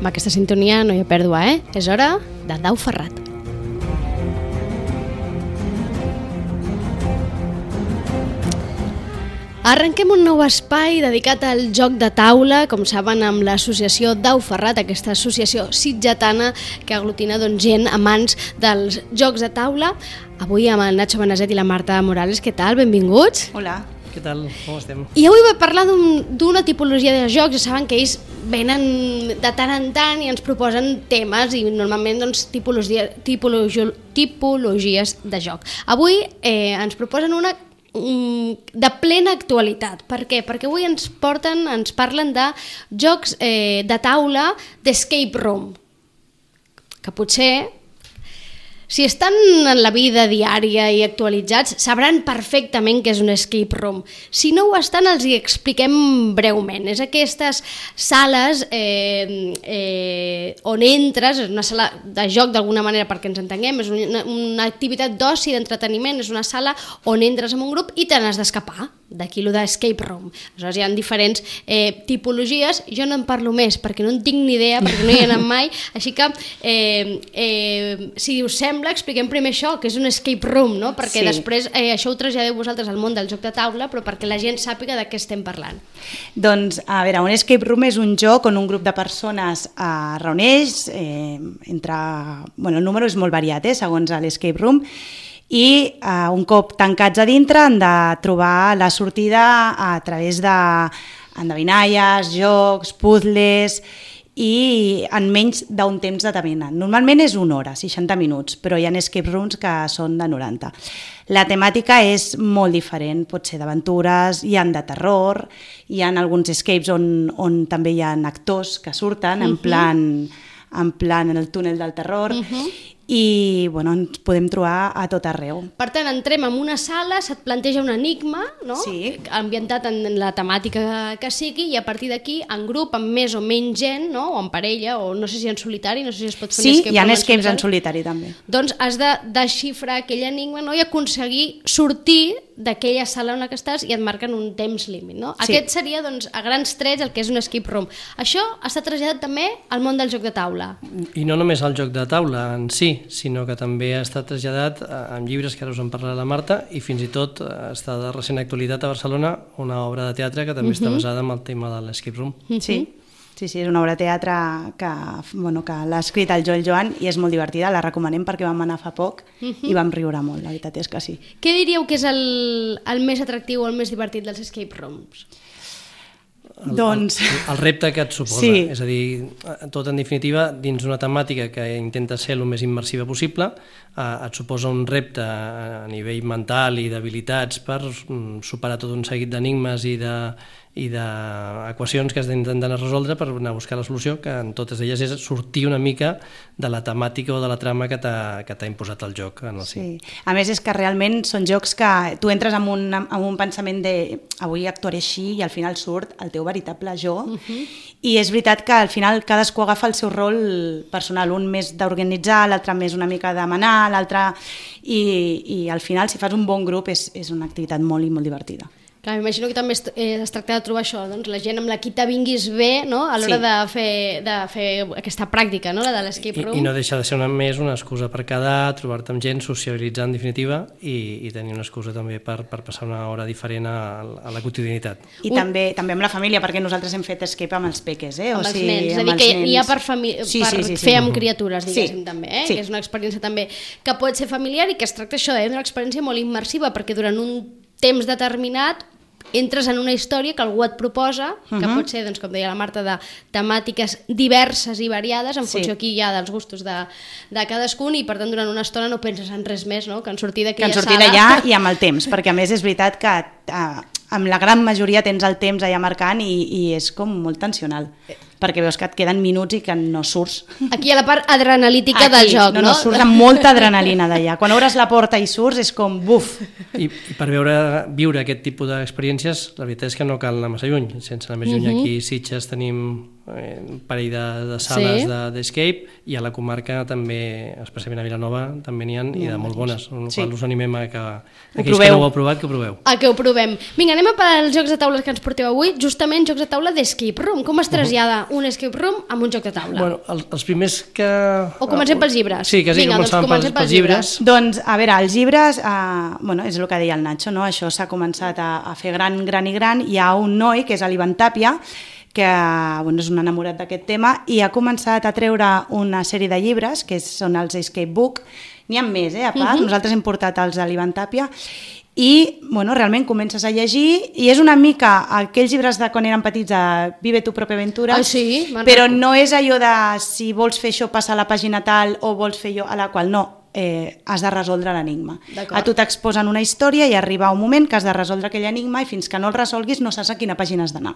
Amb aquesta sintonia no hi ha pèrdua, És hora de Dau Ferrat. Arrenquem un nou espai dedicat al joc de taula, com saben, amb l'associació Dau Ferrat, aquesta associació sitgetana que aglutina gent amants dels jocs de taula. Avui amb el Nacho Benazet i la Marta Morales. Què tal? Benvinguts. Hola. Què tal? Com estem? I avui vull parlar d'una tipologia de jocs. Ja saben que ells venen de tant en tant i ens proposen temes i normalment tipologies de joc. Avui ens proposen una de plena actualitat. Per què? Perquè avui ens parlen de jocs de taula d'escape room, que potser, si estan en la vida diària i actualitzats, sabran perfectament què és un escape room. Si no ho estan, els hi expliquem breument. És aquestes sales on entres, és una sala de joc d'alguna manera perquè ens entenguem, és una activitat d'oci, d'entreteniment, és una sala on entres en un grup i te n'has d'escapar. D'aquí lo d'escape room. Aleshores hi ha diferents tipologies. Jo no en parlo més perquè no en tinc ni idea, perquè no hi he anat mai, així que si us sembla expliquem primer això, que és un escape room, no? Perquè després això ho traslladeu vosaltres al món del joc de taula, però perquè la gent sàpiga de què estem parlant. Doncs, a veure, un escape room és un joc on un grup de persones reuneix entre... Bueno, el número és molt variat, segons l'escape room, i un cop tancats a dintre han de trobar la sortida a través d'endevinalles, jocs, puzzles i en menys d'un temps determinat. Normalment és una hora, 60 minuts, però hi ha escape rooms que són de 90. La temàtica és molt diferent, pot ser d'aventures, hi ha de terror, hi ha alguns escapes on també hi ha actors que surten en plan en el túnel del terror, i bueno, ens podem trobar a tot arreu. Per tant, entrem en una sala, se't planteja un enigma, no? Sí. Ambientat en la temàtica que sigui, i a partir d'aquí, en grup, amb més o menys gent, no? O en parella, o no sé si en solitari, no sé si es pot fer sí, escape. Hi ha escapes en solitari també. Doncs has de desxifrar aquell enigma, no? I aconseguir sortir d'aquella sala on estàs i et marquen un temps límit, no? Sí. Aquest seria, doncs, a grans trets el que és un escape room. Això està traslladat també al món del joc de taula. I no només al joc de taula en si, sinó que també ha estat traslladat en llibres que ara us en parlarà la Marta, i fins i tot està de recent actualitat a Barcelona una obra de teatre que també està basada en el tema de l'escape room. Sí, és una obra de teatre que l'ha escrit el Joel Joan i és molt divertida, la recomanem perquè vam anar fa poc i vam riure molt, la veritat és que sí. Què diríeu que és el més atractiu o el més divertit dels escape rooms? El repte que et suposa, és a dir, tot en definitiva, dins una temàtica que intenta ser el més immersiva possible, et suposa un repte a nivell mental i d'habilitats per superar tot un seguit d'enigmes i d'equacions que has d'intentar resoldre per anar a buscar la solució, que en totes elles és sortir una mica de la temàtica o de la trama que t'ha imposat el joc en el si. A més és que realment són jocs que tu entres amb un pensament de avui actuaré així i al final surt el teu veritable jo, i és veritat que al final cadascú agafa el seu rol personal, un més d'organitzar, l'altre més una mica de manar, l'altre... I al final si fas un bon grup és una activitat molt i molt divertida. Clar, m'imagino que també es tracta de trobar això, doncs, la gent amb la qui t'avinguis bé, no? A l'hora de fer aquesta pràctica, no? La de l'escape room. I no deixa de ser més una excusa per quedar, trobar-te amb gent, socialitzar en definitiva i tenir una excusa també per passar una hora diferent a la quotidianitat. I també amb la família, perquè nosaltres hem fet escape amb els peques, amb els nens, és a dir, que hi ha per fer amb criatures, diguéssim, també, que és una experiència també que pot ser familiar i que es tracta això d'una experiència molt immersiva, perquè durant un temps determinat entres en una història que algú et proposa, que pot ser, doncs, com deia la Marta, de temàtiques diverses i variades, en funció aquí ja dels gustos de cadascun, i per tant durant una estona no penses en res més, no? Que en sortir d'aquella sala... Que en sortir d'allà i amb el temps, perquè a més és veritat que amb la gran majoria tens el temps allà marcant i és com molt tensional, perquè veus que et queden minuts i que no surts. Aquí hi ha la part adrenalítica del joc, no? No, surts amb molta adrenalina d'allà. Quan obres la porta i surts és com buf. I per viure aquest tipus d'experiències, la veritat és que no cal anar massa lluny. Sense anar més lluny, aquí a Sitges tenim un parell de sales d'escape, i a la comarca també, especialment a Vilanova, també n'hi ha, i de molt bones, qual us animem a que aquells que no ho heu provat, que ho proveu. A que ho provem. Vinga, anem a per als jocs de taula que ens porteu avui, justament jocs de taula d'escape room. Com es trasllada un escape room amb un joc de taula? Bueno, els primers que... O comencem pels llibres. Sí, quasi començàvem pels llibres. Doncs, a veure, els llibres, bueno, és el que deia el Nacho, no? Això s'ha començat a fer gran. Hi ha un noi, que és l'Ivan Tàpia, que bueno, és un enamorat d'aquest tema, i ha començat a treure una sèrie de llibres, que són els Escape Book. N'hi ha més, a part, nosaltres hem portat els de l'Ivan Tàpia, i bueno, realment comences a llegir, i és una mica aquells llibres de quan eren petits de Vive tu propia aventura, sí, però no és allò de si vols fer això passa a la pàgina tal o vols fer allò a la qual no. Has de resoldre l'enigma. A tu t'exposen una història i arriba un moment que has de resoldre aquell enigma i fins que no el resolguis no saps a quina pàgina has d'anar.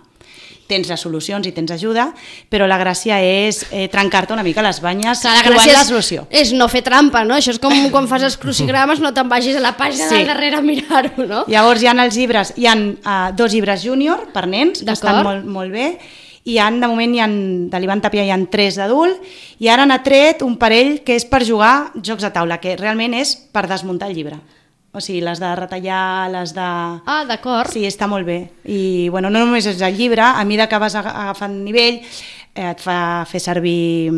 Tens les solucions i tens ajuda, però la gràcia és trencar-te una mica les banyes trobant la solució. És no fer trampa, no? Això és com quan fas els crucigrames, no te'n vagis a la pàgina del darrere a mirar-ho, no? Llavors hi ha els llibres, hi ha 2 llibres júnior per nens, que estan molt bé, i de moment de l'Ivan Tàpia hi ha 3 d'adult, i ara n'ha tret un parell que és per jugar jocs de taula, que realment és per desmuntar el llibre. O sigui, les de retallar, les de... Ah, d'acord. Sí, està molt bé. I bueno, no només és el llibre, a mesura que vas agafant nivell, et fa fer servir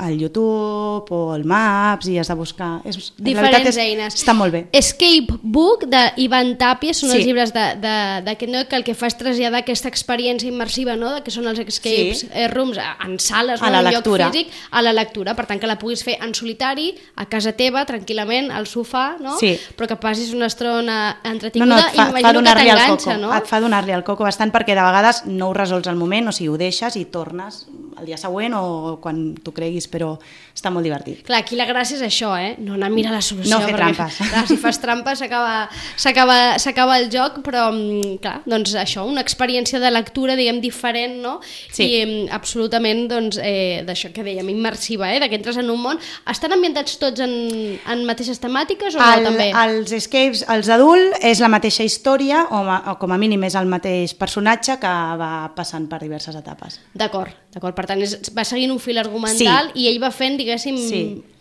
el YouTube o el Maps i has de buscar... Diferents eines. Està molt bé. Escape Book d'Ivan Tàpia són els llibres d'aquest noi que el que fa és traslladar aquesta experiència immersiva, no? Que són els escapes rooms en sales, en un lloc físic, a la lectura. Per tant, que la puguis fer en solitari, a casa teva, tranquil·lament, al sofà, no? Sí. Però que passis una estona entretinguda i m'imagino que t'enganxa, no? Et fa donar-li al coco bastant, perquè de vegades no ho resols al moment, o sigui, ho deixes i tornes el dia següent o quan tu creguis, però està molt divertit. Clar, aquí la gràcia és això, no anar a mirar la solució. No fer trampes. Clar, si fas trampes s'acaba el joc, però clar, doncs això, una experiència de lectura, diguem, diferent, no? Sí. I absolutament, doncs, d'això que dèiem, immersiva, de que entres en un món. Estan ambientats tots en mateixes temàtiques o no també? Els escapes, els adults, és la mateixa història, o com a mínim és el mateix personatge que va passant per diverses etapes. D'acord. Per tant, va seguint un fil argumental i ell va fent, diguéssim,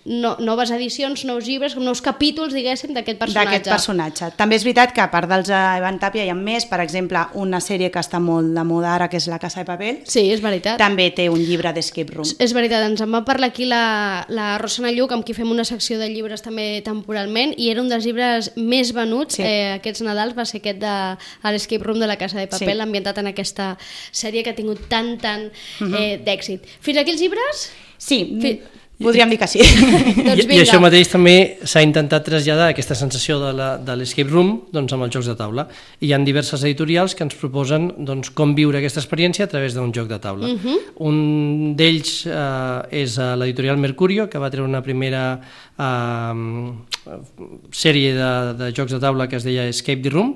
noves edicions, nous llibres, nous capítols, diguéssim, d'aquest personatge. També és veritat que a part dels Ivan Tàpia hi ha més, per exemple, una sèrie que està molt de moda ara, que és La Casa de Papel. Sí, és veritat. També té un llibre d'escape room. És veritat, ens en va parlar aquí la Rosana Lluc, amb qui fem una secció de llibres també temporalment, i era un dels llibres més venuts aquests Nadals, va ser aquest de l'Escape Room de La Casa de Papel, ambientat en aquesta sèrie que ha tingut tant d'èxit. Fins aquí els llibres? Sí, podríem dir que sí. I això mateix també s'ha intentat traslladar aquesta sensació de l'escape room amb els jocs de taula. I hi ha diverses editorials que ens proposen com viure aquesta experiència a través d'un joc de taula. Un d'ells és l'editorial Mercurio, que va treure una primera sèrie de jocs de taula que es deia Escape the Room,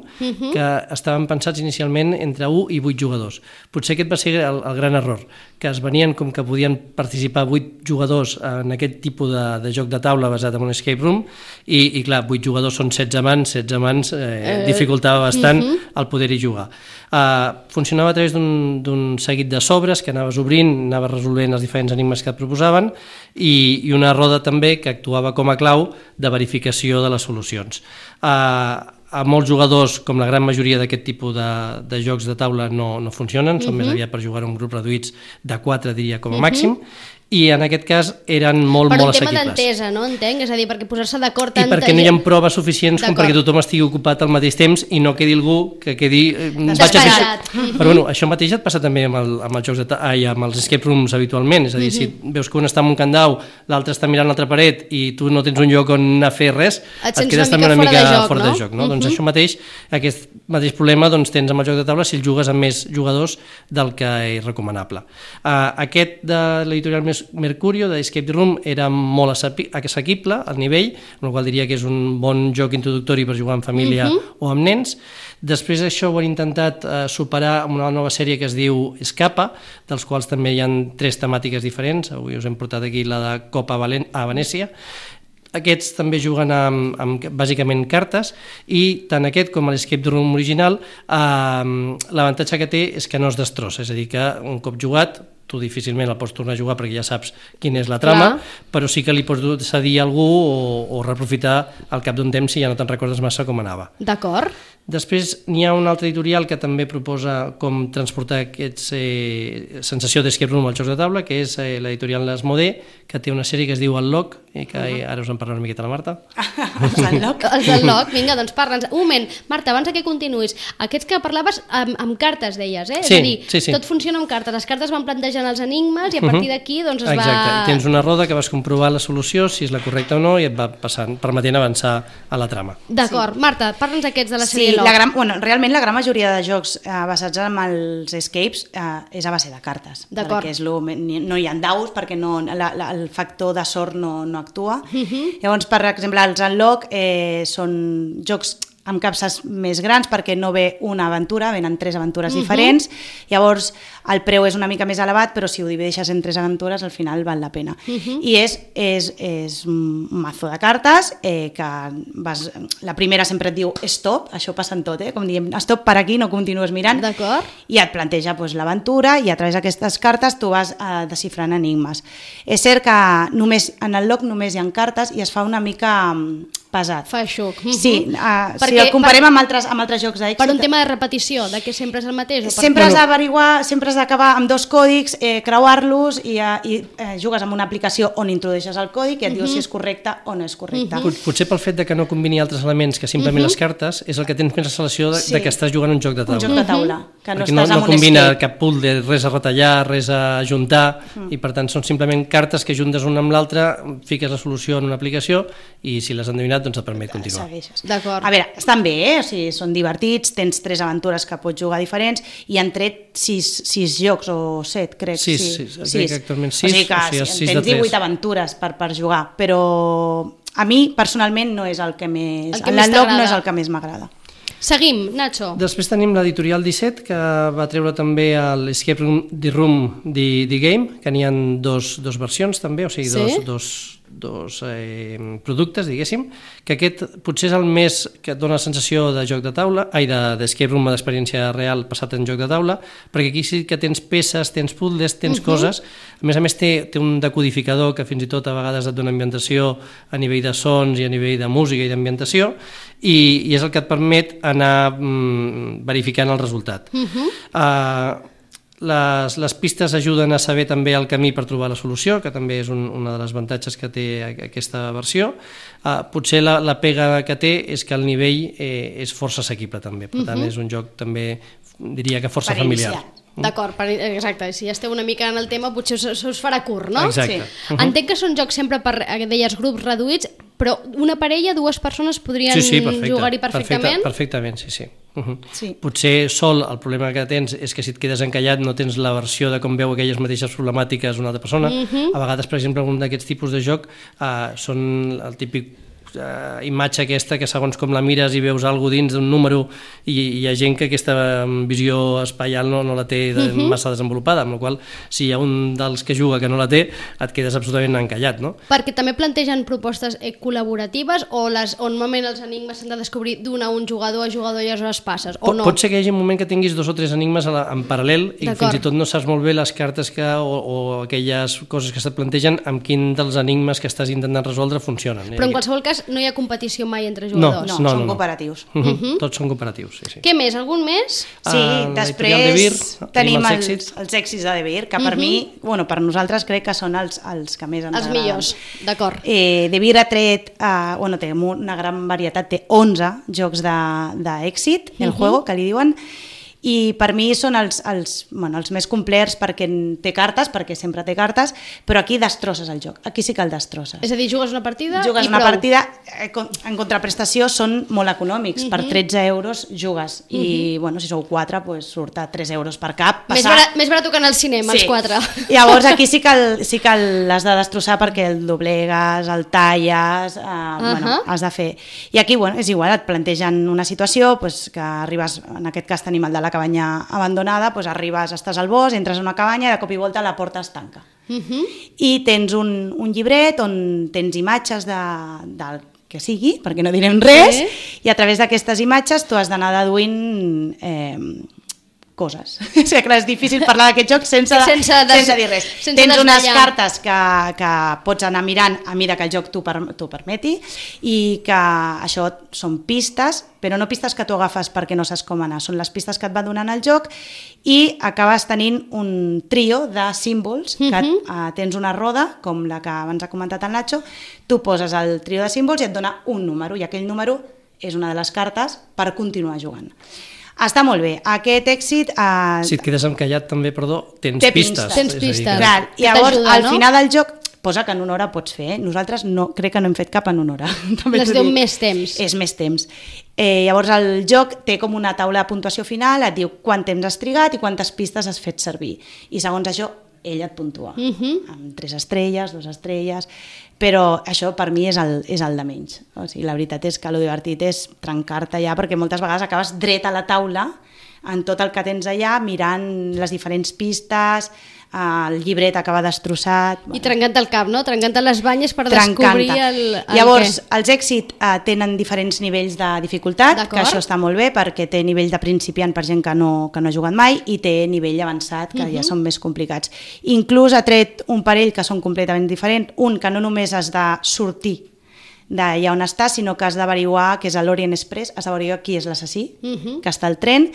que estaven pensats inicialment entre 1 i 8 jugadors. Potser aquest va ser el gran error, que es venien com que podien participar 8 jugadors en aquest tipus de joc de taula basat en un escape room, i clar, 8 jugadors són 16 mans dificultava bastant el poder-hi jugar. Funcionava a través d'un seguit de sobres que anaves obrint, anaves resolent els diferents enigmes que et proposaven, i una roda també que actuava com a clau de verificació de les solucions. A molts jugadors, com la gran majoria d'aquest tipus de jocs de taula, no funcionen, són més aviat per jugar en grups reduïts de 4, diria, com a màxim, i en aquest cas eren molt assequibles. Per un tema d'entesa, no? Entenc? És a dir, perquè posar-se d'acord tanta gent... I perquè no hi ha proves suficients com perquè tothom estigui ocupat al mateix temps i no quedi algú que quedi... Desesperat. Però bueno, això mateix et passa també amb els jocs amb els escape rooms habitualment, és a dir, si veus que un està amb un candau, l'altre està mirant l'altra paret i tu no tens un lloc on anar a fer res, et quedes també una mica fora de joc, no? Doncs això mateix, aquest mateix problema tens amb el joc de taula si el jugues amb més jugadors del que és recomanable. Aquest de l'editorial Mercurio, d'Escape the Room, era molt assequible al nivell, amb el qual diria que és un bon joc introductori per jugar en família o amb nens. Després això ho han intentat superar amb una nova sèrie que es diu Escapa, dels quals també hi ha 3 temàtiques diferents. Avui us hem portat aquí la de Copa a Venècia. Aquests també juguen amb bàsicament cartes, i tant aquest com l'Escape Room original, l'avantatge que té és que no es destrossa, és a dir, que un cop jugat tu difícilment el pots tornar a jugar perquè ja saps quina és la trama, però sí que li pots cedir a algú o reaprofitar al cap d'un temps si ja no te'n recordes massa com anava. D'acord. Després n'hi ha un altre editorial que també proposa com transportar aquesta sensació d'escape room als jocs de taula, que és l'editorial Asmodee, que té una sèrie que es diu Unlock, que ara us en parla una miqueta la Marta. Els Unlock? Els Unlock, vinga, doncs parla'ns. Un moment, Marta, abans que continuïs, aquests que parlaves amb cartes, deies, eh? Sí, és a dir, tot funciona amb cartes, les cartes van plantejant els enigmes i a partir d'aquí doncs es va... Exacte, i tens una roda que vas comprovar la solució, si és la correcta o no, i et va permetent avançar a la trama. D'acord, Marta, parla'ns aquests de la sèrie realment la gran majoria de jocs basats en els escapes és a base de cartes, perquè no hi ha daus, perquè el factor de sort no actua. Llavors, per exemple, els Unlock són jocs amb capses més grans perquè no ve una aventura, venen 3 aventures diferents, llavors el preu és una mica més elevat, però si ho divideixes en 3 aventures al final val la pena. I és un mazo de cartes que la primera sempre et diu stop, això passa en tot, com diem, stop per aquí, no continues mirant, i et planteja l'aventura i a través d'aquestes cartes tu vas desxifrant enigmes. És cert que en el Unlock només hi ha cartes i es fa una mica pesat. Fa xuc. Sí, si el comparem amb altres jocs d'èxit... Per un tema de repetició, de que sempre és el mateix? Sempre has d'averiguar, sempre has d'acabar amb 2 còdics, creuar-los i jugues amb una aplicació on introdueixes el còdic i et diu si és correcte o no és correcte. Potser pel fet de que no combini altres elements que simplement les cartes, és el que tens més la sensació de que estàs jugant un joc de taula. Un joc de taula, que no estàs amb un escape. No combina cap puzzle, res a retallar, res a juntar, i per tant són simplement cartes que juntes una amb l'altra, fiques la solució en una aplicació i si l'has endevinat doncs et permet continuar. D'acord. A veure, estan bé, o sigui, són divertits, tens 3 aventures que pots jugar diferents i han tret 6 jocs o 7, crec. 6, crec que actualment 6, o sigui que tens 18 aventures per jugar, però a mi personalment no és el que més... L'Unlock no és el que més m'agrada. Seguim, Nacho. Després tenim l'editorial 17, que va treure també l'Escape Room The Game, que n'hi ha 2 versions també, o sigui, dos productes, diguéssim, que aquest potser és el més que et dona la sensació de joc de taula, d'escape room d'experiència real passat en joc de taula, perquè aquí sí que tens peces, tens puzzles, tens coses, a més té un decodificador que fins i tot a vegades et dona ambientació a nivell de sons i a nivell de música i d'ambientació, i és el que et permet anar verificant el resultat. Les pistes ajuden a saber també el camí per trobar la solució, que també és una de les avantatges que té aquesta versió. Potser la pega que té és que el nivell és força assequible també, per tant és un joc també, diria que força familiar. D'acord, exacte, si ja esteu una mica en el tema potser us farà curt, no? Exacte. Entenc que són jocs sempre per, deies, grups reduïts, però una parella, 2 persones podrien jugar-hi perfectament? Perfectament, sí. Potser sol el problema que tens és que si et quedes encallat no tens la versió de com veu aquelles mateixes problemàtiques una altra persona. A vegades, per exemple, un d'aquests tipus de joc són el típic imatge aquesta que segons com la mires i veus alguna cosa dins d'un número i hi ha gent que aquesta visió espaial no la té massa desenvolupada, amb la qual si hi ha un dels que juga que no la té et quedes absolutament encallat, no? Perquè també plantegen propostes col·laboratives o normalment els enigmes s'han de descobrir d'un a un jugador a jugador i aleshores passes, o no? Pot ser que hi hagi un moment que tinguis 2 o 3 enigmes en paral·lel i fins i tot no saps molt bé les cartes o aquelles coses que se't plantegen amb quin dels enigmes que estàs intentant resoldre funcionen. Però en qualsevol cas no hi ha competició mai entre jugadors. No, són cooperatius. Tots són cooperatius, sí. Què més? Algun més? Sí, després tenim els èxits de De Beer, que per mi, per nosaltres crec que són els que més ens agraden. Els millors, d'acord. De Beer ha tret, té una gran varietat, té 11 jocs d'èxit, el juego, que li diuen, i per mi són els més complets perquè té cartes, perquè sempre té cartes, però aquí destrosses el joc, aquí sí que el destrosses. És a dir, jugues una partida i prou. Jugues una partida, en contraprestació són molt econòmics, per 13 euros jugues, i si sou 4 surt a 3 euros per cap. Més barat que en el cinema, els 4. Llavors aquí sí que l'has de destrossar perquè el doblegues, el talles, has de fer. I aquí és igual, et plantegen una situació que arribes, en aquest cas tenim el de la cabanya abandonada, arribes, estàs al bosc, entres a una cabanya i de cop i volta la porta es tanca. I tens un llibret on tens imatges del que sigui, perquè no direm res, i a través d'aquestes imatges tu has d'anar deduint coses. O sigui, clar, és difícil parlar d'aquest joc sense dir res. Tens unes cartes que pots anar mirant a mesura que el joc t'ho permeti i que això són pistes, però no pistes que tu agafes perquè no saps com anar, són les pistes que et va donant el joc i acabes tenint un trio de símbols, que tens una roda, com la que abans ha comentat el Nacho, tu poses el trio de símbols i et dona un número, i aquell número és una de les cartes per continuar jugant. Està molt bé. Aquest èxit... Si et quedes encallat també, tens pistes. Tens pistes. Clar, i llavors, al final del joc, posa que en una hora pots fer. Nosaltres crec que no hem fet cap en una hora. Les deu més temps. És més temps. Llavors el joc té com una taula de puntuació final, et diu quant temps has trigat i quantes pistes has fet servir. I segons això, ell et puntua. Amb 3 estrelles, 2 estrelles... Però això per mi és el de menys. O sigui, la veritat és que el divertit és trencar-te allà, perquè moltes vegades acabes dret a la taula en tot el que tens allà, mirant les diferents pistes, el llibret acaba destrossat... I trencant el cap, no? Trencant les banyes per descobrir el Llavors, els èxits tenen diferents nivells de dificultat, que això està molt bé, perquè té nivell de principiant per gent que no ha jugat mai, i té nivell avançat, que ja són més complicats. Inclús ha tret un parell que són completament diferents, un que no només has de sortir d'allà on està, sinó que has d'averiguar, que és l'Orient Express, has d'averiguar qui és l'assassí, que està al tren.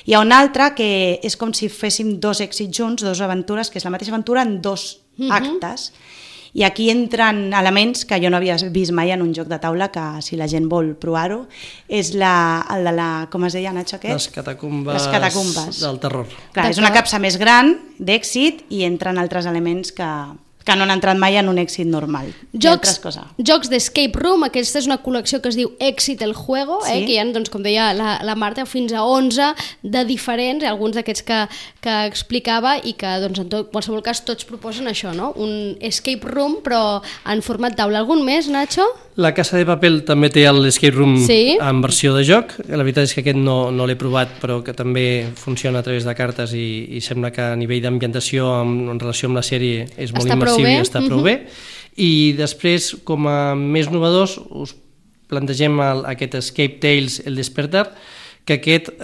Hi ha un altre que és com si féssim 2 èxits junts, 2 aventures, que és la mateixa aventura en 2 actes, i aquí entren elements que jo no havia vist mai en un joc de taula, que si la gent vol provar-ho, és el de la... com es deia, Nacho, aquest? Les catacumbes del terror. Clar, és una capsa més gran d'èxit i entren altres elements que no han entrat mai en un èxit normal. Jocs d'escape room, aquesta és una col·lecció que es diu Èxit el Juego, que hi ha, doncs, com deia la Marta, fins a 11 de diferents, alguns d'aquests que explicava, i que doncs, en qualsevol cas tots proposen això, no? Un escape room però en format taula. Algun més, Nacho? La Casa de Papel també té l'escape room en versió de joc. La veritat és que aquest no l'he provat, però que també funciona a través de cartes i sembla que a nivell d'ambientació en relació amb la sèrie és molt immersiu i està prou bé. I després, com a més novedors, us plantegem aquest Escape Tales, El Despertar, que aquest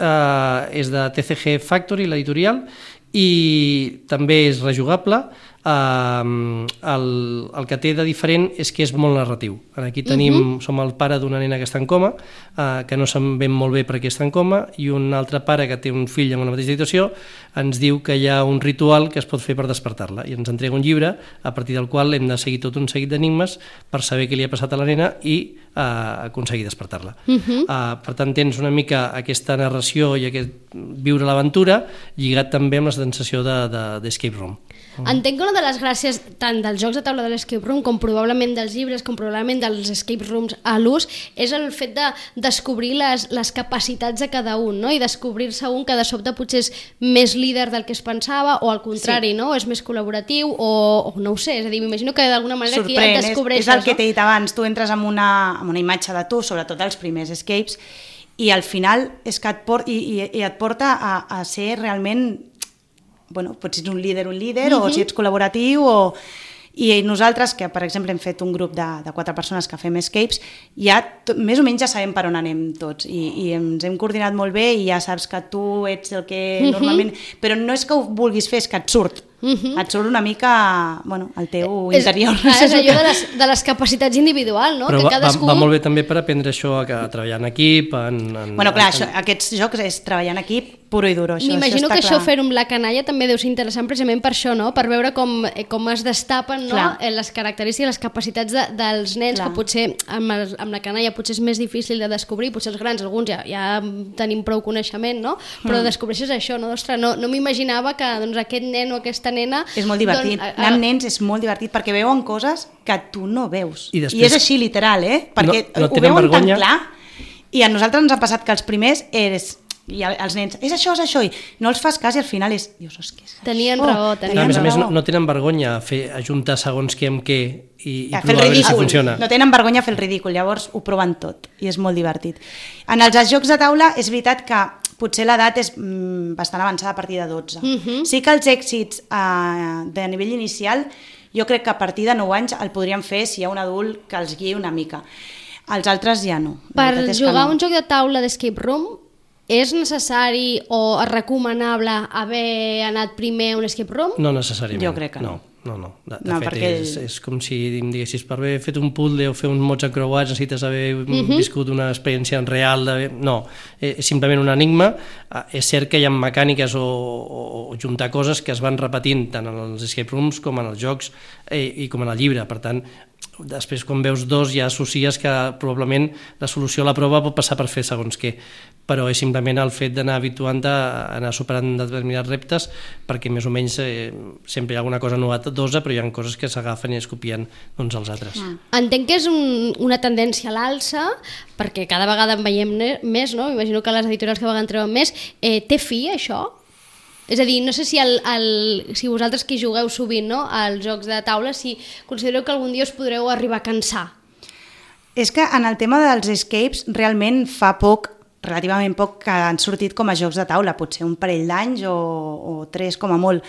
és de TCG Factory, l'editorial, i també és rejugable. El que té de diferent és que és molt narratiu. Aquí som el pare d'una nena que està en coma, que no sabem molt bé per què està en coma, i un altre pare que té un fill en una mateixa situació ens diu que hi ha un ritual que es pot fer per despertar-la, i ens entrega un llibre a partir del qual hem de seguir tot un seguit d'enigmes per saber què li ha passat a la nena i aconseguir despertar-la. Per tant, tens una mica aquesta narració i aquest viure l'aventura lligat també amb la sensació d'escape room. Entenc que una de les gràcies tant dels jocs de taula de l'escape room com probablement dels llibres, com probablement dels escape rooms a l'ús, és el fet de descobrir les capacitats de cada un, no? I descobrir-se un que de sobte potser és més líder del que es pensava, o al contrari, no? És més col·laboratiu, o no ho sé, és a dir, m'imagino que d'alguna manera aquí et descobreixes. És el que t'he dit abans, tu entres amb una imatge de tu, sobretot els primers escapes, i al final és que et porta a ser realment... Bueno, pots ser un líder o si ets col·laboratiu i nosaltres, que per exemple hem fet un grup de 4 persones que fem escapes, ja més o menys ja sabem per on anem tots i ens hem coordinat molt bé i ja saps que tu ets el que normalment... Però no és que ho vulguis fer, és que et surt. Et surt una mica el teu interior. És allò de les capacitats individuals, no? Però va molt bé també per aprendre això, a treballar en equip... Bueno, clar, aquests jocs és treballar en equip puro i duro. M'imagino que això fer-ho amb la canalla també deu ser interessant precisament per això, no? Per veure com es destapen les característiques, les capacitats dels nens, que potser amb la canalla potser és més difícil de descobrir, potser els grans, alguns ja tenim prou coneixement, no? Però descobreixes això, no? Ostres, no m'imaginava que aquest nen o aquesta nena... És molt divertit. Anar amb nens és molt divertit perquè veuen coses que tu no veus. I és així literal, perquè ho veuen tan clar. I a nosaltres ens ha passat que els primers i els nens, és això, i no els fas cas i al final és... Dius, tenien raó. A més, no tenen vergonya a juntar segons què amb què i provar a veure si funciona. No tenen vergonya a fer el ridícul, llavors ho proven tot i és molt divertit. En els jocs de taula és veritat que potser l'edat és bastant avançada a partir de 12. Sí que els èxits de nivell inicial jo crec que a partir de 9 anys el podríem fer si hi ha un adult que els guiï una mica. Els altres ja no. Per jugar un joc de taula d'escape room és necessari o recomanable haver anat primer a un escape room? No necessàriament. Jo crec que no. No. De fet, és com si em diguessis, per haver fet un puzzle o fer uns mots encreuats necessites haver viscut una experiència real. No, és simplement un enigma. És cert que hi ha mecàniques o juntar coses que es van repetint tant en els escape rooms com en els jocs i com en el llibre. Per tant, després quan veus dos ja associes que probablement la solució a la prova pot passar per fer segons què, però és simplement el fet d'anar habituant-te a anar superant determinats reptes, perquè més o menys sempre hi ha alguna cosa novedosa, però hi ha coses que s'agafen i es copien uns als altres. Entenc que és una tendència a l'alça, perquè cada vegada en veiem més, no? Imagino que les editorials que vegades treuen més. Té fi, això? És a dir, no sé si si vosaltres que jugueu sovint, no, als jocs de taula, si considereu que algun dia us podreu arribar a cansar. És que en el tema dels escapes realment fa poc, relativament poc, que han sortit com a jocs de taula, potser un parell d'anys o 3 com a molt,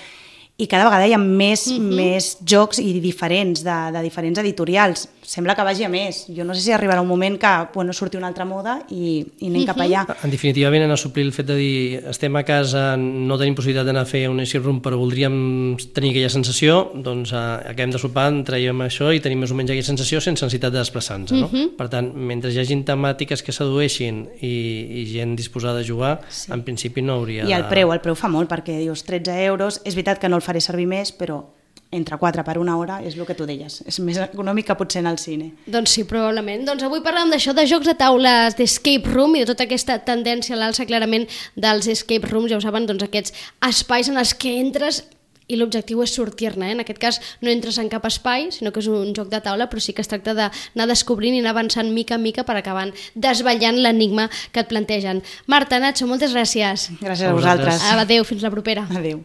i cada vegada hi ha més jocs i diferents, de diferents editorials. Sembla que vagi a més. Jo no sé si arribarà un moment que surti una altra moda i anem cap allà. En definitiva, venen a suplir el fet de dir estem a casa, no tenim possibilitat d'anar a fer un escape room, però voldríem tenir aquella sensació, doncs acabem de sopar, traiem això i tenim més o menys aquella sensació sense necessitat de desplaçar-nos. No? Per tant, mentre hi hagin temàtiques que sedueixin i gent disposada a jugar, en principi no hauria I el preu fa molt, perquè dius 13 euros, és veritat que no el faré servir més, però entre 4 per una hora és el que tu deies. És més econòmic que potser anar al cine. Doncs sí, probablement. Doncs avui parlem d'això, de jocs de taules d'escape room i de tota aquesta tendència a l'alça clarament dels escape rooms, ja ho saben, doncs aquests espais en els que entres i l'objectiu és sortir-ne. En aquest cas no entres en cap espai, sinó que és un joc de taula, però sí que es tracta d'anar descobrint i anar avançant mica en mica per acabar desvetllant l'enigma que et plantegen. Marta, Nacho, moltes gràcies. Gràcies a vosaltres. Adéu, fins la propera. Adéu.